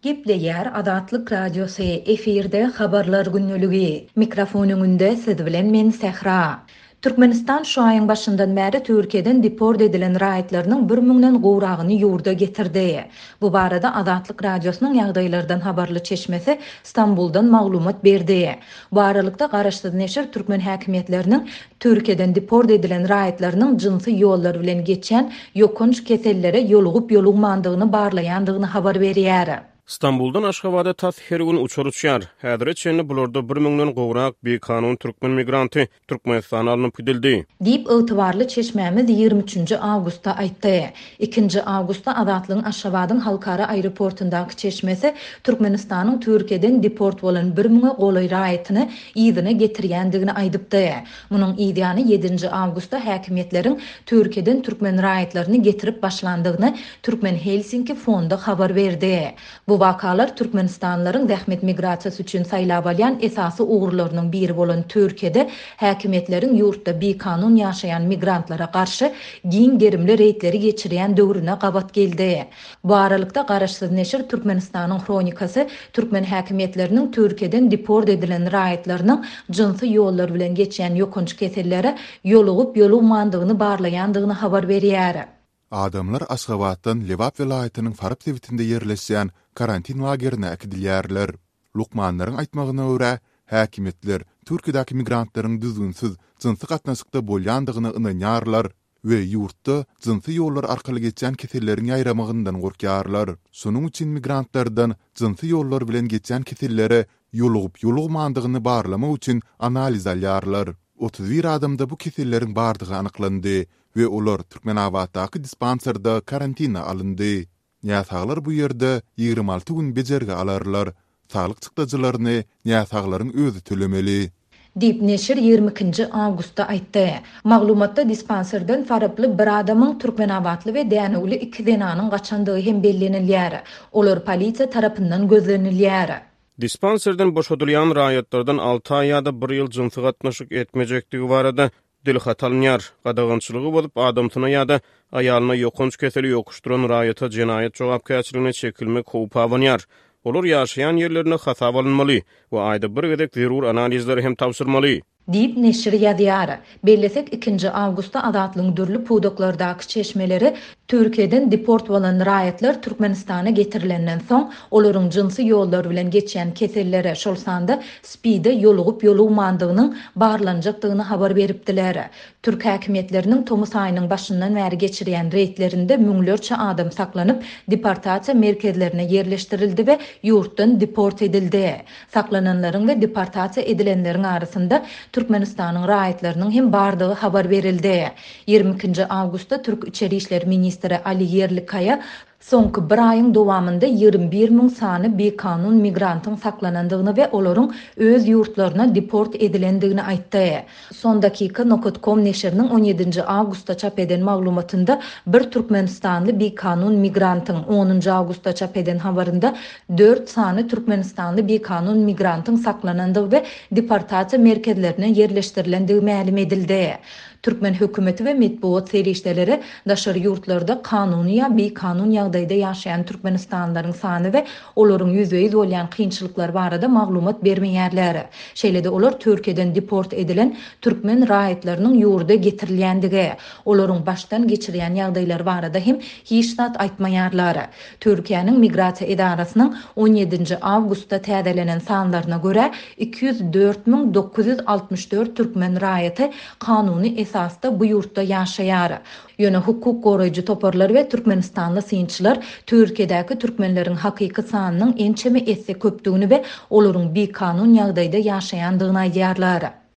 Gepleýär Azatlyk Radiosy, efirde Habarlar gündeligi. Mikrofon öňünde siz bilen men Sähra. Türkmenistan şu aýyň başyndan bäri Türkiýeden deport edilen raýatlarynyň bir müňden gowragyny ýurda getirdi. Bu barada Azatlyk Radiosynyň ýagdaýlardan habarly çeşmesi Stambuldan maglumat berdi. Bu aralykda, garaşsyz neşir türkmen häkimiýetleriniň Türkiýeden deport edilen raýatlarynyň jynsy ýollar bilen geçýän ýokanç kesellere ýolugyp-ýolugmandygyny barlaýandygyny habar berýär. Stambuldan Aşgabada tas her gün uçar uçýar. Häzire çenli bularda bir müňden gowrak bikanun türkmen migranty Türkmenistana alnyp gidildi. Diýip, ygtybarly çeşmämiz ýigrimi üçünji awgustda aýtdy. Ikinji awgustda Azatlygyň Aşgabadyň halkara aeroportundaky çeşmesi Türkmenistanyň Türkiýeden deport bolan bir müňe golaý raýatyny yzyna getirýändigini aýdypdy. Munuň yzýany ýedinji awgustda häkimiýetleriň Türkiýeden türkmen raýatlaryny getirip başlandygyny Türkmen Helsinki fondy habar berdi. Bu wakalar türkmenistanlylaryň zähmet migrasiýasy üçin saýlap alýan esasy ugurlarynyň biri bolan Türkiýede häkimiýetleriň ýurtda bikanun ýaşaýan migrantlara garşy giň gerimli reýdleri geçirýän döwrüne gabat geldi. Bu aralykda, garaşsyz neşir Türkmenistanyň Hronikasy türkmen häkimiýetleriniň Türkiýeden deport edilen raýatlarynyň jynsy ýollar bilen geçýän ýokanç kesellere ýolugyp-ýolugmandygyny barlaýandygyny habar berýär. Adamlar Aşgabatdan Lebap welaýatynyň Farap sebitinde ýerleşýän karantin lagerine äkidilýärler. Lukmanlaryň aýtmagyna görä, häkimiýetler Türkiýedäki migrantlaryň düzgünsiz jynsy gatnaşykda bolýandygyna ynanýarlar we ýurtda jynsy ýollar arkaly geçýän keselleriň ýaýramagyndan gorkýarlar. Şonuň üçin migrantlardan jynsy ýollar bilen geçýän kesellere ýolugyp-ýolugmandygyny barlamak üçin analiz alýarlar. 31 adamda bu keselleriň bardygy anyklandy we olar Türkmenabatdaky dispanserde karantina alyndy. Näsaglar bu ýerde 26 gün bejergi alarlar. Saglyk çykdajylaryny näsaglaryň özi tölemeli. Diýip, neşir ýigrimi ikinji awgustda aýtdy. Maglumatda dispanserden faraply bir adamyň, türkmenabatly we dänewli iki zenanyň gaçandygy hem bellenilýär. Olar polisiýa tarapyndan gözlenilýär. Dispanserden boşadylýan raýatlardan alty aý ýa-da bir ýyl jynsy gatnaşyk etmejekdigi barada dilhat alynýar. Gadagançylygy bozup, adamsyna ýa-da aýalyna ýokanç keseli ýokuşdyran raýata jenaýat jogapkärçiligine çekilmek howpy abanýar. Olar ýaşaýan ýerlerinde hasaba alynmaly we aýda bir gezek zerur analizleri hem tabşyrmaly. Diýip, neşir ýazýar. Bellesek, ikinji awgustda Azatlygyň dürli pudaklardaky çeşmeleri Türkiýeden deport bolan raýatlar Türkmenistana getirilenden soň, olaryň jynsy ýollar bilen geçýän kesellere, şol sanda SPID-e ýolugyp-ýolugmandygynyň barlanjakdygyny habar beripdiler. Türk häkimiýetleriniň tomus aýynyň başyndan bäri geçirýän reýdlerinde müňlerçe adam saklanyp, deportasiýa merkezlerine ýerleşdirildi we ýurtdan deport edildi. Saklananlaryň we deportasiýa edilenleriň arasynda Türkmenistanyň raýatlarynyň hem bardygy habar berildi. Ýigrimi ikinji awgustda türk içeri işler ministri Ali Ýerlikaýa soňky bir aýyň dowamynda 21 müň sany bikanun migrantyň saklanandygyny we olaryň öz ýurtlaryna deport edilendigini aýtdy. Sondakika nokat kom neşiriniň on ýedinji awgustda çap eden maglumatynda bir türkmenistanly bikanun migrantyň, onunjy awgustda çap eden habarynda dört sany türkmenistanly bikanun migrantyň saklanandygy we deportasiýa merkezlerine ýerleşdirilendigi mälim edildi. Türkmen hökümeti we metbugat serişdeleri daşary ýurtlarda kanuny ýa bikanun ýagdaýda ýaşaýan türkmenistanlylaryň sany we olaryň ýüzbe-ýüz bolýan kynçylyklary barada maglumat bermeýärler. Şeýle-de olar Türkiýeden deport edilen türkmen raýatlarynyň ýurda getirilýändigi, olaryň başdan geçirýän ýagdaýlary barada hem hiç zat aýtmaýarlar. Türkiýäniň Migrasiýa edarasynyň on ýedinji awgustda täzelenen sanlaryna görä, 204 964 türkmen raýaty kanuny esasda bu ýurtda ýaşaýar. Ýöne hukuk goraýjy toparlar we türkmenistanly synçylar Türkiýedäki türkmenleriň hakyky sanynyň ençeme esse köpdügini we olaryň bikanun ýagdaýda ýaşaýandygyny aýdýarlar.